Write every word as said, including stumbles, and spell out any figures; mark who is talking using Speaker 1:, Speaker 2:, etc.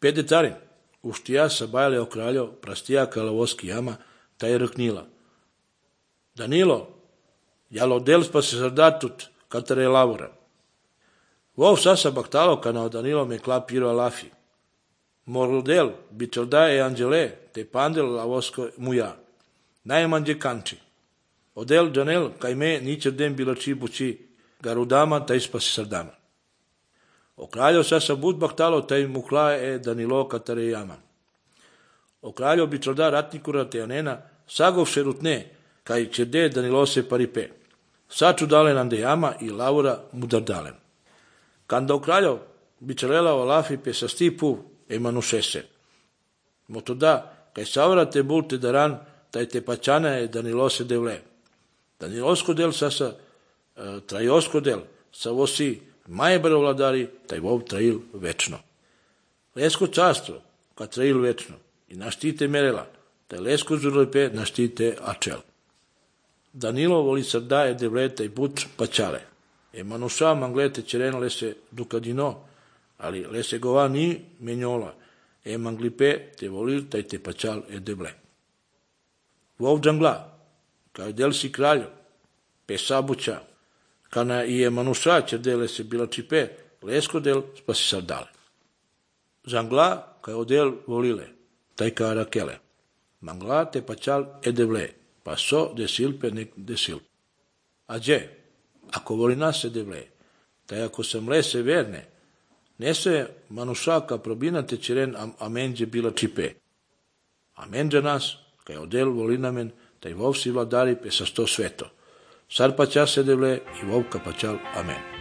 Speaker 1: Pede carin, uštija sa bajale o kraljo, prastija kalavoski jama, taj rknila. Danilo, jalo del pa se sardatut, katare lavora. Vov sasa baktalo kanao Danilo me klapiro alafi. Morodel, bitordae angele, te pandel lavosko muja. Najmanđe kanči. Odel Janel, kaj me ničer den bilači buči, garudama, taj spa se sardama. O kraljo sasa bud baktalo, taj muklae e Danilo katare jama. O kraljo bitorda ratnikura te anena, sagov šerutne, kaj čerde Danilo se paripe. Saču dalen ande jama i lavura mudardalen. Kanda o kraljo bičarela o lafi pe sa stipu e manušese. Moto da, kaj savra te bulte daran, taj te pačana e Danilo se devle. Danilosko del sasa e, trajosko del, sa vosi majebare vladari, taj vov trajil večno. Lesko častvo, ka trajil večno, i naštite merela, taj lesko žurlepe naštite ačel. Danilo voli sarda e devle taj buč pačale. E manuša manglete čereno lese dukadino, ali lese gova ni menjola, e manglipe te volil taj te pačal e devle. Vov džangla, kao del si kraljo, pe sabuća, kana i je manuša čerdele se bila čipe, lesko del spa si sardale. Džangla, kao del volile, taj ka rakele. Mangla te pačal e devle, pa so desilpe nek desil. A dje, ako voli nas se devle, taj ako sam lese verne, nese manušaka probina te čeren amenđe bila čipe. Amenđa nas, kaj odel voli namen, taj vov si vladari pe sa sto sveto. Sar pača se devle i vov ka pačal amen.